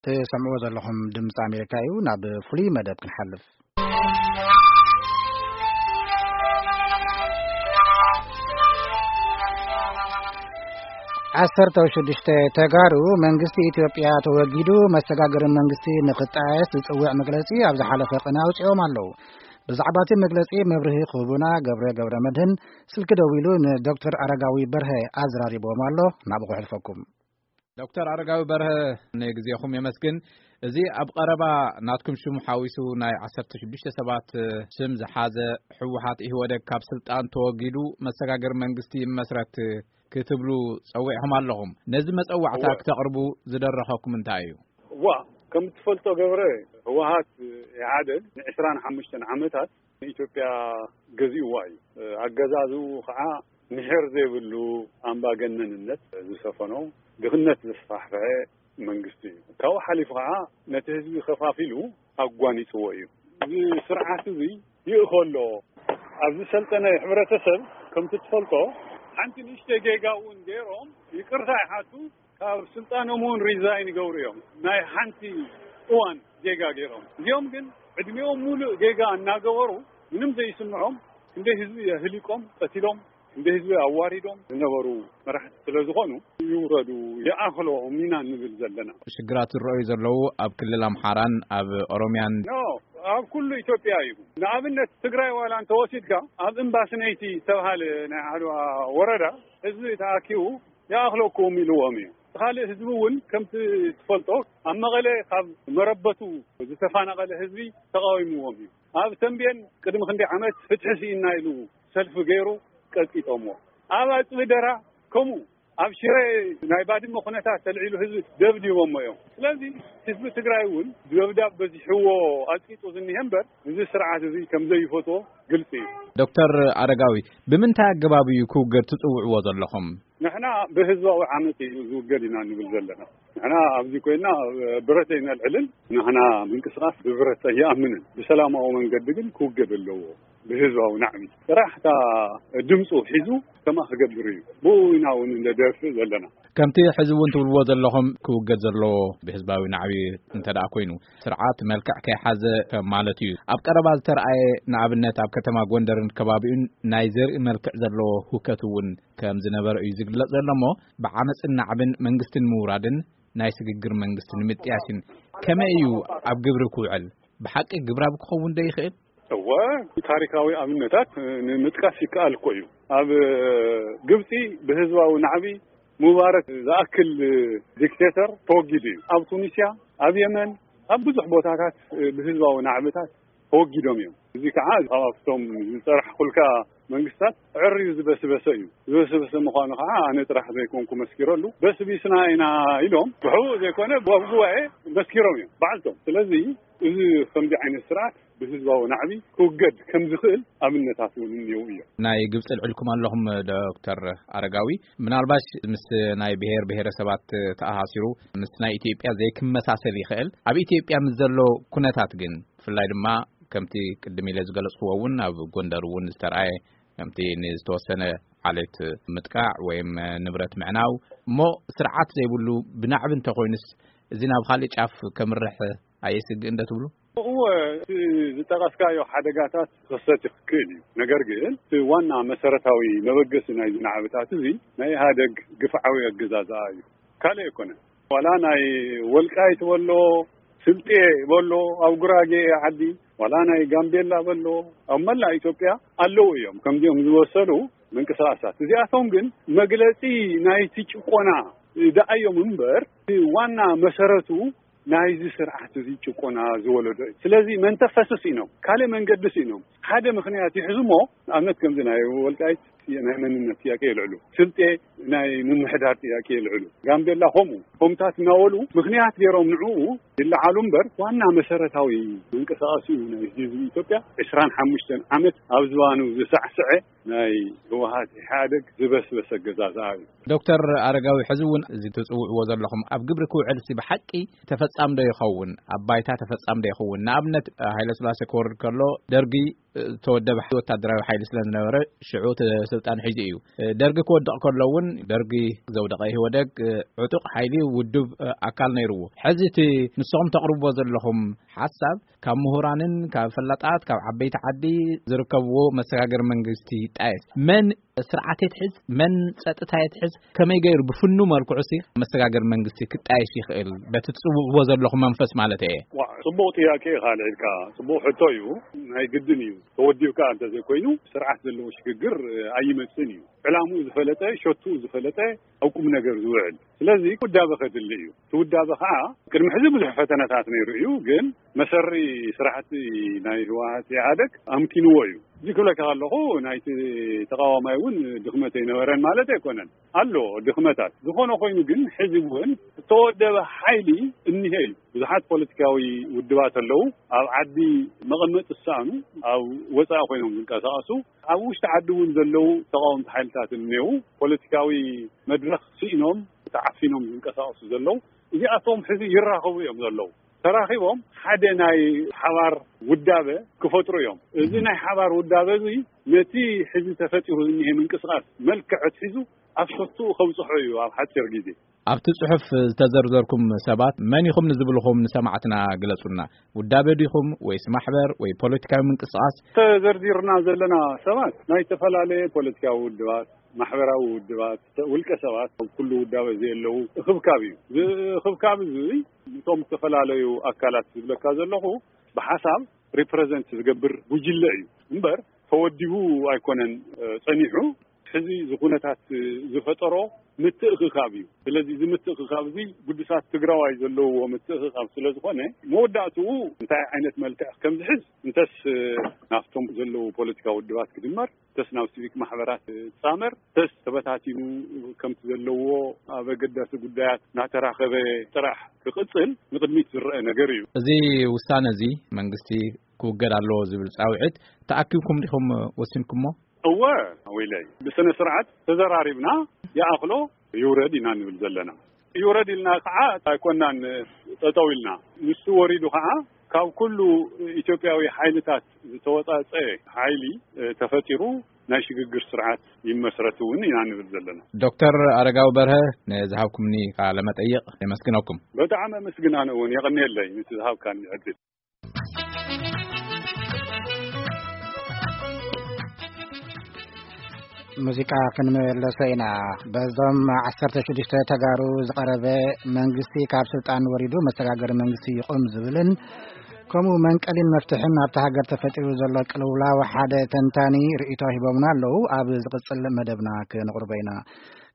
ትሰምዕዎ ዘለኹም ድምፂ ኣሜሪካ እዩ። ናብ ፍሉይ መደብ ክንሓልፍ። ዓሰርተ ሽዱሽተ ተጋሩ መንግስቲ ኢትዮጵያ ተወጊዱ መሰጋገሪ መንግስቲ ንክጣየስ ዝፅውዕ መግለፂ ኣብ ዝሓለፈ ቅነ ኣውፂኦም ኣለዉ። ብዛዕባ እቲ መግለፂ መብርሂ ክህቡና ገብረ ገብረ መድህን ስልኪ ደዊሉ ንዶክተር ኣረጋዊ በርሀ ኣዘራሪብዎም ኣሎ። ናብኡ ክሕልፈኩም። ዶክተር ኣረጋዊ በርሀ፣ ንግዜኹም የመስግን። እዚ ኣብ ቀረባ ናትኩም ሽም ሓዊሱ ናይ ዓሰርተ ሽዱሽተ ሰባት ስም ዝሓዘ፣ ህወሓት ኢህወደግ ካብ ስልጣን ተወጊዱ መሰጋገሪ መንግስቲ ይመስረት ክትብሉ ጸዊዕኹም ኣለኹም። ነዚ መጸዋዕታ እወ። ክተቕርቡ ዝደረኸኩም እንታይ እዩ? እዋ፣ ከም እትፈልጦ ገብረ፣ ህወሓት ኢህኣደግ ንዕስራን ሓሙሽተን ዓመታት ንኢትዮጵያ ገዚእዋ እዩ። ኣገዛዝኡ ከዓ ምሕር ዘይብሉ ኣምባገነንነት ዝሰፈኖ፣ ድኽነት ዘስፋሕፍሐ መንግስቲ እዩ። ካብኡ ሓሊፉ ከዓ ነቲ ህዝቢ ከፋፊሉ ኣጓኒፅዎ እዩ። እዚ ስርዓት እዚ ይእኸሎ። ኣብ ዝሰልጠነ ሕብረተሰብ ከምቲ ትፈልጦ ሓንቲ ንእሽተይ ጌጋ እውን ገይሮም ይቅርታ ይሓቱ፣ ካብ ስልጣኖም እውን ሪዛይን ይገብሩ እዮም። ናይ ሓንቲ እዋን ጌጋ ገይሮም። እዚኦም ግን ዕድሜኦም ሙሉእ ጌጋ እናገበሩ ምንም ዘይስምዖም ክንደይ ህዝቢ የህሊቆም፣ ቀቲሎም፣ ክንደይ ህዝቢ ኣዋሪዶም ዝነበሩ መራሕቲ ስለ ዝኾኑ ይውረዱ፣ ይኣኽሎም ኢና እንብል ዘለና። ሽግራት ዝረኣዩ ዘለዉ ኣብ ክልል ኣምሓራን ኣብ ኦሮምያን። ኖ፣ ኣብ ኩሉ ኢትዮጵያ እዩ። ንኣብነት ትግራይ ዋላ እንተወሲድካ ኣብ እምባስነይቲ ዝተባሃለ ናይ ዓድዋ ወረዳ ህዝቢ ተኣኪቡ ይኣኽለኩም ኢልዎም እዩ። ካልእ ህዝቢ እውን ከምቲ ትፈልጦ ኣብ መቐለ ካብ መረበቱ ዝተፈናቐለ ህዝቢ ተቃዊምዎም እዩ። ኣብ ተንቤን ቅድሚ ክንደይ ዓመት ፍትሒ ስኢና ኢሉ ሰልፊ ገይሩ ቀጥቂጦምዎ። ኣብ ኣጽቢ ደራ ከምኡ። ኣብ ሽረ ናይ ባድመ ኩነታት ተልዒሉ ህዝቢ ደብዲቦሞ እዮም። ስለዚ ህዝቢ ትግራይ እውን ደብዳብ በዚሕዎ ኣጽቂጡ ዝኒሀ እምበር እዚ ስርዓት እዚ ከም ዘይፈትዎ ግልጺ እዩ። ዶክተር ኣረጋዊ፣ ብምንታይ ኣገባብ እዩ ክውገድ ትጽውዕዎ ዘለኹም? ንሕና ብህዝባዊ ዓመፅ እዩ ዝውገድ ኢና ንብል ዘለና። ንሕና ኣብዚ ኮይና ብረት ኣይነልዕልን። ንሕና ምንቅስቃስ ብብረት ኣይኣምንን። ብሰላማዊ መንገዲ ግን ክውገድ ኣለዎ። ብህዝባዊ ናዕቢ ጥራሕ እታ ድምፁ ሒዙ ከማ ክገብር እዩ። ብኡ ኢና እውን እንደደፍእ ዘለና። ከምቲ ሕዚ እውን ትብልዎ ዘለኹም ክውገድ ዘለዎ ብህዝባዊ ናዕቢ እንተ ደኣ ኮይኑ ስርዓት መልክዕ ከይሓዘ ከም ማለት እዩ። ኣብ ቀረባ ዝተረኣየ ንኣብነት ኣብ ከተማ ጎንደርን ከባቢኡን ናይ ዘርኢ መልክዕ ዘለዎ ህውከት እውን ከም ዝነበረ እዩ ዝግለጽ ዘሎ እሞ ብዓመፅን ናዕብን መንግስቲ ንምውራድን ናይ ስግግር መንግስቲ ንምጥያስን ከመይ እዩ ኣብ ግብሪ ክውዕል? ብሓቂ ግብራዊ ክኸውን ዶ ይኽእል? እወ፣ ታሪካዊ ኣብነታት ንምጥቃስ ይከኣል እኮ እዩ። ኣብ ግብፂ ብህዝባዊ ናዕቢ ሙባረክ ዝኣክል ዲክቴተር ተወጊዱ እዩ። ኣብ ቱኒስያ፣ ኣብ የመን፣ ኣብ ብዙሕ ቦታታት ብህዝባዊ ናዕብታት ተወጊዶም እዮም። እዚ ከዓ ካብቶም ዝፀራሕኩልካ መንግስታት ዕርዩ ዝበስበሰ እዩ። ዝበስበሰ ምዃኑ ከዓ ኣነ ጥራሕ ዘይኮንኩ መስኪረሉ። በስቢስና ኢና ኢሎም ብሕቡእ ዘይኮነ ኣብ ጉባኤ መስኪሮም እዮም ባዕልቶም። ስለዚ እዚ ከምዚ ዓይነት ስርዓት ብህዝባዊ ናዕቢ ክውገድ ከም ዝኽእል ኣብነታት እውን እኒው እዮም። ናይ ግብፂ ልዕልኩም ኣለኹም ዶክተር ኣረጋዊ፣ ምናልባሽ ምስ ናይ ብሔር ብሔረሰባት ተኣሳሲሩ ምስ ናይ ኢትዮጵያ ዘይክመሳሰል ይኽእል። ኣብ ኢትዮጵያ ምስ ዘሎ ኩነታት ግን ብፍላይ ድማ ከምቲ ቅድም ኢለ ዝገለጽክዎ እውን ኣብ ጎንደር እውን ዝተረኣየ ከምቲ ንዝተወሰነ ዓሌት ምጥቃዕ ወይም ንብረት ምዕናው እሞ ስርዓት ዘይብሉ ብናዕቢ እንተኾይኑስ እዚ ናብ ካልእ ጫፍ ከምርሕ ኣየስግእን ዶ ትብሉ? እወ፣ እቲ ዝጠቐስካዮ ሓደጋታት ክኽሰት ይኽእል እዩ። ነገር ግን እቲ ዋና መሰረታዊ መበገሲ ናይዚ ናዕብታት እዚ ናይ ኢህኣደግ ግፍዓዊ ኣገዛዝኣ እዩ። ካልእ ኣይኮነን። ዋላ ናይ ወልቃይት በሎ፣ ስልጤ በሎ፣ ኣብ ጉራጌ ዓዲ፣ ዋላ ናይ ጋምቤላ በሎ፣ ኣብ መላእ ኢትዮጵያ ኣለዉ እዮም ከምዚኦም ዝወሰኑ ምንቅስቃሳት። እዚኣቶም ግን መግለጺ ናይቲ ጭቆና ደኣ እዮም እምበር፣ ዋና መሰረቱ ናይዚ ስርዓት እዚ ጭቆና ዝወለዶ እዩ። ስለዚ መንተ ፈስስ ኢኖም፣ ካልእ መንገዲ ስኢኖም፣ ሓደ ምኽንያት ይሕዙ እሞ፣ ንኣብነት ከምዚ ናይ ወልቃይት ናይ መንነት ጥያቄ የልዕሉ፣ ስልጤ ናይ ምምሕዳር ጥያቄ የልዕሉ፣ ጋምቤላ ከምኡ፣ ከምታት እናበሉ ምኽንያት ገይሮም ንዕኡ ይለዓሉ እምበር፣ ዋና መሰረታዊ መንቀሳቐሲኡ ናይ ህዝቢ ኢትዮጵያ ዕስራን ሓሙሽተን ዓመት ኣብ ዝባኑ ዝሳዕስዐ ናይ ህወሓት ኢህኣደግ ዝበስበሰ ኣገዛዝኣ እዩ። ዶክተር ኣረጋዊ፣ ሕዚ እውን እዚ ትጽውዕዎ ዘለኹም ኣብ ግብሪ ክውዕል ሲ ብሓቂ ተፈጻሚ ዶ ይኸውን? ኣብ ባይታ ተፈጻሚ ዶ ይኸውን? ንኣብነት፣ ሃይለ ስላሴ ክወርድ ከሎ ደርጊ ዝተወደበ ወታደራዊ ሓይሊ ስለ ዝነበረ ሽዑ እቲ ስልጣን ሒዙ እዩ። ደርጊ ክወድቕ ከሎ እውን ደርጊ ዘውደቐ ኢህወደግ ዕጡቕ ሓይሊ ውዱብ ኣካል ነይርዎ። ሕዚ እቲ ንስኹም ተቕርብዎ ዘለኹም ሓሳብ ካብ ምሁራንን ካብ ፈላጣት ካብ ዓበይቲ ዓዲ ዝርከብዎ መሰጋገሪ መንግስቲ ይጣየስ። መን ስርዓት የትሕዝ፣ መን ጸጥታ የትሕዝ፣ ከመይ ገይሩ ብፍኑ መልክዑ ሲ መሰጋገሪ መንግስቲ ክጣየሽ ይኽእል? በቲ ትጽውዕዎ ዘለኹም መንፈስ ማለት እየ። ዋ፣ ጽቡቕ ጥያቄ ኢኻ ኣልዒልካ። ጽቡቕ ሕቶ እዩ። ናይ ግድን እዩ። ተወዲብካ እንተዘይኮይኑ ስርዓት ዘለዎ ሽግግር ኣይመጽእን እዩ። ዕላምኡ ዝፈለጠ፣ ሸቱ ዝፈለጠ፣ ኣብ ቁም ነገር ዝውዕል። ስለዚ ውዳበ ከድሊ እዩ። እቲ ውዳበ ኸዓ ቅድሚ ሕዚ ብዙሕ ፈተነታት ነይሩ እዩ፣ ግን መሰሪ ስራሕቲ ናይ ህወሓት ኢህኣደግ ኣምኪንዎ እዩ። እዚ ክብለካ ከለኹ ናይቲ ተቃዋማይ እውን ድኽመት ኣይነበረን ማለት ኣይኮነን። ኣሎ ድኽመታት። ዝኾነ ኮይኑ ግን ሕዚ እውን እተወደበ ሓይሊ እኒሀ እዩ። ብዙሓት ፖለቲካዊ ውድባት ኣለዉ። ኣብ ዓዲ መቐመጢ ዝሰኣኑ፣ ኣብ ወፃኢ ኮይኖም ዝንቀሳቐሱ፣ ኣብ ውሽጢ ዓዲ እውን ዘለዉ ተቃወምቲ ሓይልታት እኒሄው። ፖለቲካዊ መድረኽ ስኢኖም ተዓፊኖም ዝንቀሳቐሱ ዘለዉ፣ እዚኣቶም ሕዚ ይራኸቡ እዮም ዘለዉ። ተራኺቦም ሓደ ናይ ሓባር ውዳበ ክፈጥሩ እዮም። እዚ ናይ ሓባር ውዳበ እዚ ነቲ ሕዚ ተፈጢሩ ዝኒሄ ምንቅስቃስ መልክዕ ኣትሒዙ ኣብ ሸትኡ ከብፅሖ እዩ ኣብ ሓፂር ግዜ። ኣብቲ ጽሑፍ ዝተዘርዘርኩም ሰባት መን ኢኹም ንዝብልኹም ንሰማዕትና ግለጹልና። ውዳበ ዲኹም ወይስ ማሕበር ወይ ፖለቲካዊ ምንቅስቃስ? ተዘርዚርና ዘለና ሰባት ናይ ዝተፈላለየ ፖለቲካዊ ውድባት፣ ማሕበራዊ ውድባት፣ ውልቀ ሰባት፣ ኣብ ኩሉ ውዳበ ዘየለዉ እኽብካብ እዩ። እዚ እኽብካብ እዚ እቶም ዝተፈላለዩ ኣካላት ዝብለካ ዘለኹ ብሓሳብ ሪፕረዘንት ዝገብር ጉጅለ እዩ እምበር ተወዲቡ ኣይኮነን፣ እ፣ ጸኒሑ። ሕዚ እዚ ኩነታት ዝፈጠሮ ምትእኽኻብ እዩ። ስለዚ እዚ ምትእኽኻብ እዚ ግዱሳት ትግራዋይ ዘለውዎ ምትእኽኻብ ስለ ዝኾነ መወዳእትኡ እንታይ ዓይነት መልክዕ ከም ዝሕዝ እንተስ ናብቶም ዘለዉ ፖለቲካዊ ውድባት ክድመር፣ እንተስ ናብ ሲቪክ ማሕበራት ክጻመር፣ እንተስ ተበታቲኑ ከምቲ ዘለዎ ኣብ ኣገዳሲ ጉዳያት እናተራኸበ ጥራሕ ክቕጽል ንቕድሚት ዝረአ ነገር እዩ። እዚ ውሳነ እዚ መንግስቲ ክውገድ ኣለዎ ዝብል ጻውዒት ተኣኪብኩም ዲኹም ወሲንኩሞ? እወ፣ ወይለይ፣ ብስነ ስርዓት ተዘራሪብና ይኣኽሎ ይውረድ ኢና ንብል ዘለና። ይውረድ ኢልና ከዓ ኣይኮናን ጠጠው ኢልና። ንሱ ወሪዱ ከዓ ካብ ኩሉ ኢትዮጵያዊ ሓይልታት ዝተወፃፀ ሓይሊ፣ እ፣ ተፈጢሩ ናይ ሽግግር ስርዓት ይመስረት እውን ኢና ንብል ዘለና። ዶክተር ኣረጋዊ በርሀ፣ ንዝሃብኩምኒ ቃለ መጠይቕ የመስግነኩም። በጣዕሚ ኣመስግን ኣነ እውን የቐንየለይ ነቲ ዝሃብካኒ ዕድል። ሙዚቃ ክንመለሶ ኢና። በዞም ዓሰርተ ሽዱሽተ ተጋሩ ዝቐረበ መንግስቲ ካብ ስልጣን ወሪዱ መሰጋገሪ መንግስቲ ይቑም ዝብልን ከምኡ መንቀሊን መፍትሕን ኣብታ ሃገር ተፈጢሩ ዘሎ ቅልውላው ሓደ ተንታኒ ርእይቶ ሂቦምና ኣለዉ። ኣብ ዝቕጽል መደብና ክነቕርቦ ኢና።